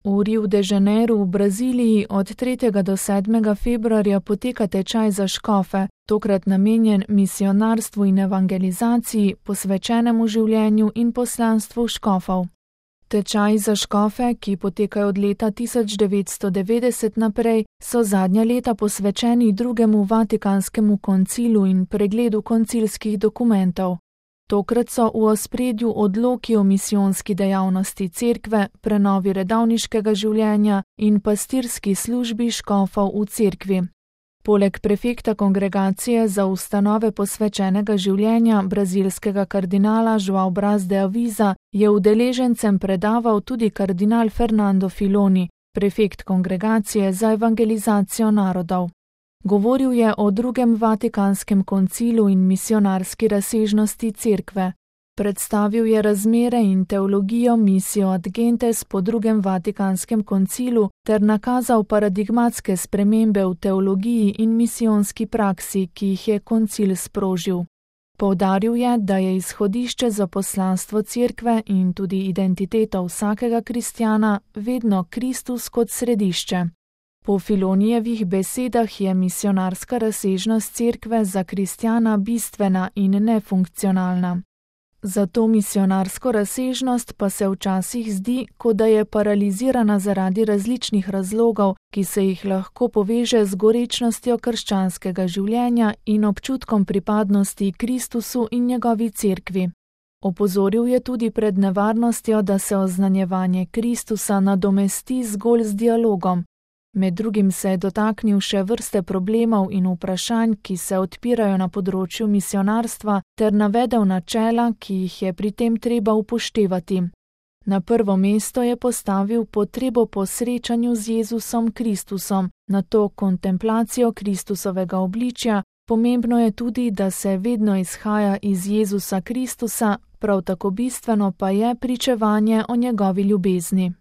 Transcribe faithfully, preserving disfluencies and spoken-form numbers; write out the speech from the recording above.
V Rio de Janeiru v Braziliji od tretjega do sedmega februarja poteka tečaj za škofe, tokrat namenjen misionarstvu in evangelizaciji, posvečenemu življenju in poslanstvu škofov. Tečaji za škofe, ki potekajo od leta tisoč devetsto devetdeset naprej, so zadnja leta posvečeni drugemu Vatikanskemu koncilu in pregledu koncilskih dokumentov. Tokrat so v ospredju odloki o misijonski dejavnosti cerkve, prenovi redovniškega življenja in pastirski službi škofov v cerkvi. Poleg prefekta kongregacije za ustanove posvečenega življenja brazilskega kardinala João Braz de Aviza je udeležencem predaval tudi kardinal Fernando Filoni, prefekt kongregacije za evangelizacijo narodov. Govoril je o drugem Vatikanskem koncilu in misionarski razsežnosti cerkve. Predstavil je razmere in teologijo Missio ad Gentes po drugem Vatikanskem koncilu ter nakazal paradigmatske spremembe v teologiji in misijonski praksi, ki jih je koncil sprožil. Poudaril je, da je izhodišče za poslanstvo cerkve in tudi identiteto vsakega kristjana vedno Kristus kot središče. Po Filonijevih besedah je misionarska razsežnost cerkve za kristjana bistvena in nefunkcionalna. Za to misionarsko razsežnost pa se včasih zdi, kot da je paralizirana zaradi različnih razlogov, ki se jih lahko poveže z gorečnostjo krščanskega življenja in občutkom pripadnosti Kristusu in njegovi cerkvi. Opozoril je tudi pred nevarnostjo, da se oznanjevanje Kristusa nadomesti zgolj z dialogom. Med drugim se je dotaknil še vrste problemov in vprašanj, ki se odpirajo na področju misionarstva, ter navedel načela, ki jih je pri tem treba upoštevati. Na prvo mesto je postavil potrebo po srečanju z Jezusom Kristusom, nato kontemplacijo Kristusovega obličja, pomembno je tudi, da se vedno izhaja iz Jezusa Kristusa, prav tako bistveno pa je pričevanje o njegovi ljubezni.